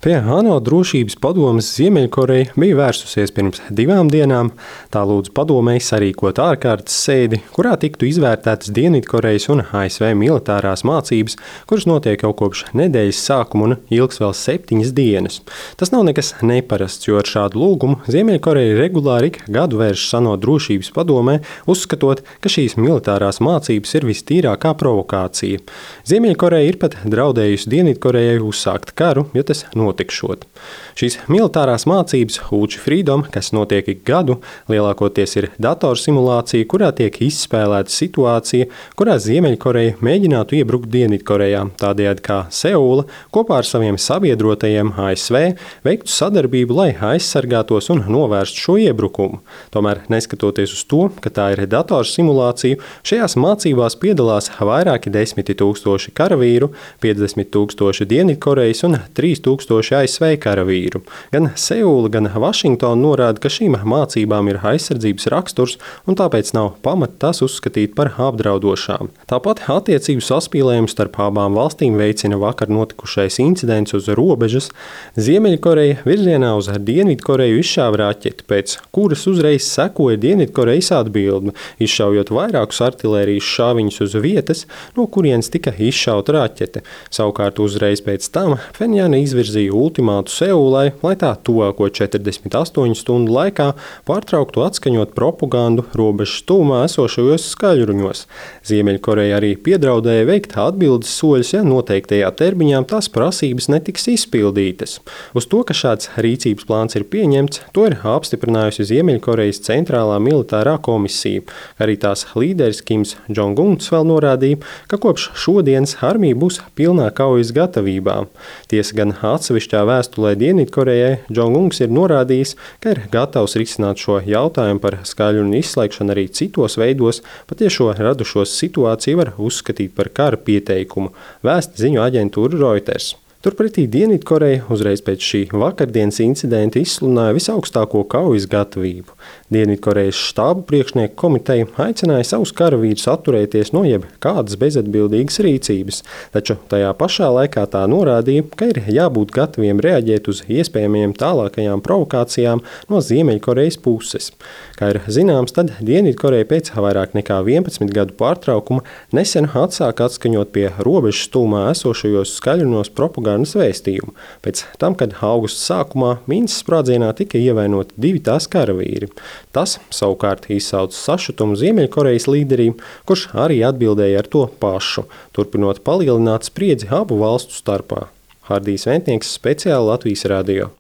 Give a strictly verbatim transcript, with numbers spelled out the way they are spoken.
Pie ANO drošības padomes Ziemeļkoreja bija vērsusies pirms divām dienām. Tā lūdza padomei sarīkot ārkārtas sēdi, kurā tiktu izvērtētas Dienvidkorejas un A S V militārās mācības, kuras notiek jau kopš nedēļas sākuma un ilgs vēl septiņas dienas. Tas nav nekas neparasts, jo ar šādu lūgumu Ziemeļkoreja regulāri ik gadu vēršas ANO drošības padomē, uzskatot, ka šīs militārās mācības ir vistīrākā provokācija. Ziemeļkoreja ir pat draudējusi Dienvidkorejai uzsākt karu, ja tas notikšot. Šīs militārās mācības Ulči Freedom, kas notiek ik gadu, lielākoties ir datorsimulācija, kurā tiek izspēlēta situācija, kurā Ziemeļkoreja mēģinātu iebrukt Dienvidkorejā, tādējādi kā Seula kopā ar saviem sabiedrotajiem A S V veiktu sadarbību, lai aizsargātos un novērstu šo iebrukumu. Tomēr, neskatoties uz to, ka tā ir datorsimulācija, šajās mācībās piedalās vairāki desmiti tūkstoši karavīru, piecdesmit tūkstoši Dienvidkorejas un trīs tūkstoši A S V karavīru. Gan Seula, gan Vašingtona norāda, ka šīm mācībām ir aizsardzības raksturs un tāpēc nav pamata tās uzskatīt par apdraudošām. Tāpat attiecību saspīlējumu starp abām valstīm veicina vakar notikušais incidents uz robežas. Ziemeļkoreja virzienā uz Dienvidkoreju izšāva raķeti, pēc kuras uzreiz sekoja Dienvidkorejas atbilde, izšaujot vairākus artilērijas šāviņus uz vietas, no kurienes tika izšauta raķete. Savukārt uzreiz pēc tam Phenjana izvirzīja ultimātu Seulai, lai tā tuvāko četrdesmit astoņu stundu laikā pārtrauktu atskaņot propagandu robežas tuvumā esošajos skaļruņos. Ziemeļkoreja arī piedraudēja veikt atbildes soļus, ja noteiktajā termiņā tās prasības netiks izpildītas. Uz to, ka šāds rīcības plāns ir pieņemts, to ir apstiprinājusi Ziemeļkorejas centrālā militārā komisija. Arī tās līderis Kims Džong-uns vēl norādīja, ka kopš šodienas armija būs pilnā kaujas gatavībā. Tiesa gan atsevišķā vēstulē Dienvidkorejai Džong-uns ir norādījis, ka ir gatavs risināt šo jautājumu par skaļruņu izslēgšanu arī citos veidos, pat ja šo radušos situāciju var uzskatīt par kara pieteikumu, vēsta ziņu aģentūra Reuters. Turpretī Dienvidkoreja uzreiz pēc šī vakardienas incidenta izsludināja visaugstāko kaujas gatavību. Dienvidkorejas štābu priekšnieku komiteja aicināja savus karavīrus atturēties no jebkādas bezatbildīgas rīcības, taču tajā pašā laikā tā norādīja, ka ir jābūt gataviem reaģēt uz iespējamajām tālākajām provokācijām no Ziemeļkorejas puses. Kā ir zināms, tad Dienvidkoreja pēc vairāk nekā vienpadsmit gadu pārtraukuma nesen atsāka atskaņot pie robežas tūmā esošajos skaļruņos propagandas vēstījumu, pēc tam, kad augusta sākumā Minskas sprādzienā tika ievainoti divi tās karavīri. Tas savukārt izsauca sašutumu Ziemeļkorejas līderī, kurš arī atbildēja ar to pašu, turpinot palielināt spriedzi abu valstu starpā. Hardijs Ventnieks, speciāli Latvijas radio.